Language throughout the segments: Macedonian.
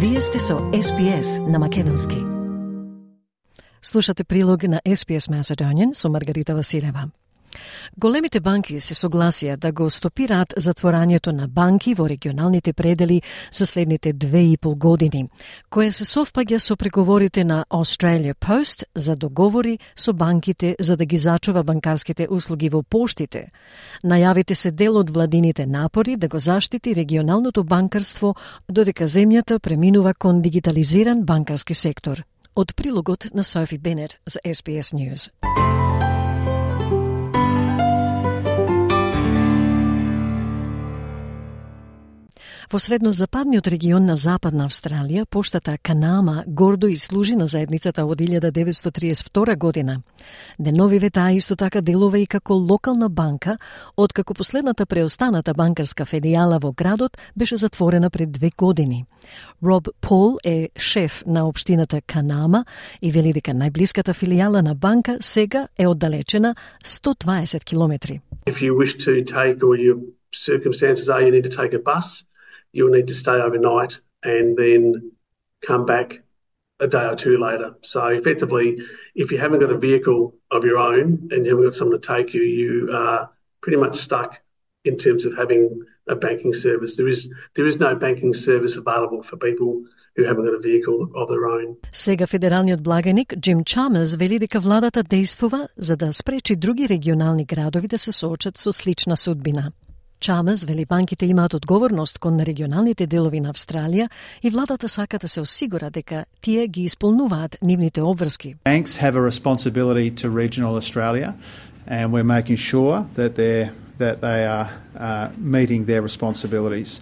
Вие сте со SPS на Македонски. Слушате прилог на SPS Macedonian со Маргарита Василева. Големите банки се согласија да го стопираат затворањето на банки во регионалните предели за следните 2,5 години, кое се совпаѓа со преговорите на Australia Post за договори со банките за да ги зачува банкарските услуги во поштите. Најавите се дел од владините напори да го заштити регионалното банкарство додека земјата преминува кон дигитализиран банкарски сектор. Од прилогот на Софи Бенет за SBS News. Во среднозападниот регион на Западна Австралија, поштата Канама гордо изслужи на заедницата од 1932 година. Деновиве таа исто така делува и како локална банка, откако последната преостаната банкарска филијала во градот беше затворена пред 2 години. Роб Пол е шеф на општината Канама и вели дека најблиската филијала на банка сега е оддалечена 120 километри. If you wish to take, or your circumstances are you need to take a bus, you'll need to stay overnight and then come back a day or two later. So effectively, if you haven't got a vehicle of your own and you haven't got someone to take you, you are pretty much stuck in terms of having a banking service. There is no banking service available for people who haven't got a vehicle of their own. Сега федералниот благаник Джим Чамерс вели дека владата действува за да спречи други регионални градови да се соочат со слична судбина. Чамерс вели банките имаат одговорност кон регионалните делови на Австралија и владата сака да се осигура дека тие ги исполнуваат нивните обврски. Banks have a responsibility to regional Australia and we're making sure that they are meeting their responsibilities.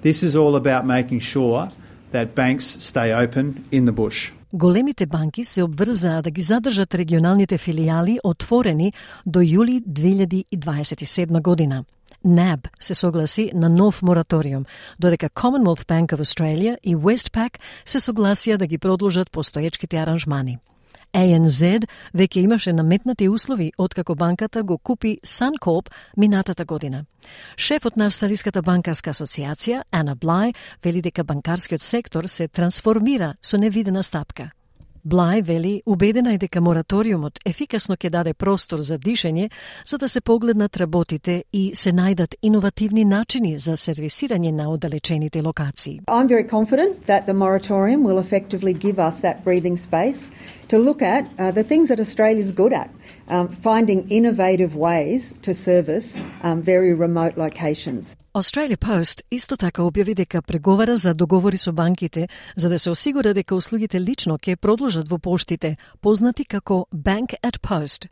This is all about making sure that banks stay open in the bush. Големите банки се обврзаа да ги задржат регионалните филијали отворени до јули 2027 година. NAB се согласи на нов мораториум, додека Commonwealth Bank of Australia и Westpac се согласија да ги продолжат постоечките аранжмани. ANZ веќе имаше наметнати услови откако банката го купи Suncorp минатата година. Шефот на Австралиската банкарска асоциација, Anna Bligh, вели дека банкарскиот сектор се трансформира со невидена стапка. Блај вели убедена е дека мораториумот ефикасно ќе даде простор за дишење за да се погледнат работите и се најдат иновативни начини за сервисирање на оддалечените локации. I'm very confident that the moratorium will effectively give us that breathing space to look at the things that Australia's good at, finding innovative ways to service very remote locations. Australia Post исто така објави дека преговара за договори со банките за да се осигура дека услугите лично ќе продолжат во поштите, познати како Bank at Post.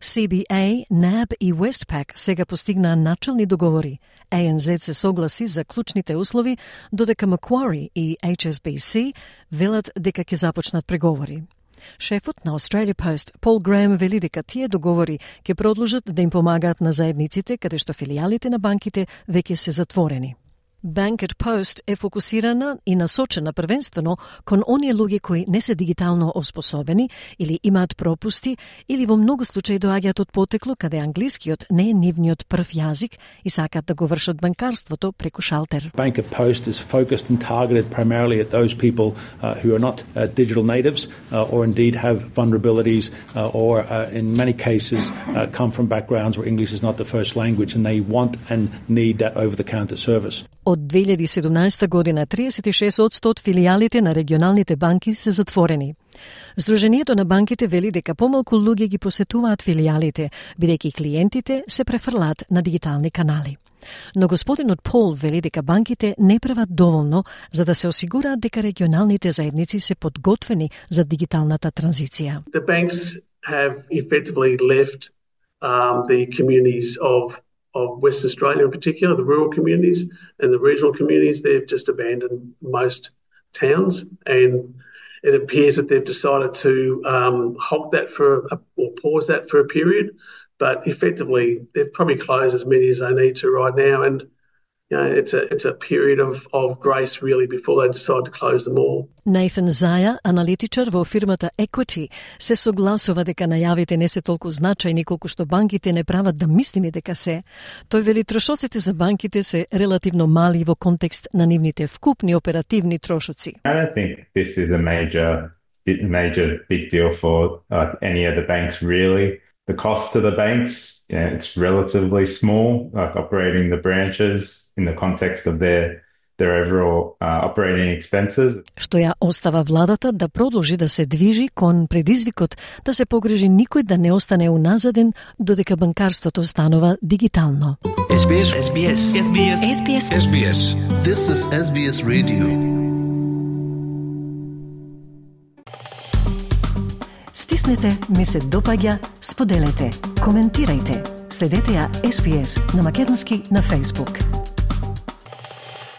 CBA, NAB и Westpac сега постигнаа начални договори. ANZ се согласи за клучните услови, додека Macquarie и HSBC велат дека ќе започнат преговори. Шефот на Australia Post, Пол Греем, вели дека тие договори ќе продолжат да им помагаат на заедниците каде што филијалите на банките веќе се затворени. Bank at Post е фокусирана и насочена првенствено кон оние луѓе кои не се дигитално оспособени или имаат пропусти или во многу случаи доаѓаат од потекло каде англискиот не е нивниот прв јазик и сакаат да го вршат банкарството преку шалтер. Bank at Post is focused and targeted primarily at those people who are not digital natives or indeed have vulnerabilities or in many cases come from backgrounds where English is not the first language and they want and need that over-the-counter service. Од 2017 година 36% од филијалите на регионалните банки се затворени. Сдруженијето на банките вели дека помалку луѓе ги посетуваат филијалите, бидејќи клиентите се префрлаат на дигитални канали. Но господинот Пол вели дека банките не прават доволно за да се осигураат дека регионалните заедници се подготвени за дигиталната транзиција. The banks have effectively left the communities of Western Australia in particular, the rural communities and the regional communities. They've just abandoned most towns, and it appears that they've decided to halt that or pause that for a period, but effectively they've probably closed as many as they need to right now. And it's a period of grace really before they decide to close them all. Nathan Zaja, аналитичар во фирмата Equity, се согласува дека најавите не се толку значајни колку што банките не прават да мислиме дека се. Тој вели трошоците за банките се релативно мали во контекст на нивните вкупни оперативни трошоци. I don't think this is a major big deal for any of the banks really. The cost to the banks, it's relatively small, like operating the branches in the context of their overall operating expenses. Што ја остава владата да продолжи да се движи кон предизвикот да се погрижи никој да не остане уназаден додека банкарството станува дигитално. SBS. This is SBS Radio. Стиснете, ми се допаѓа, споделете, коментирајте. Следете ја SBS на македонски на Facebook.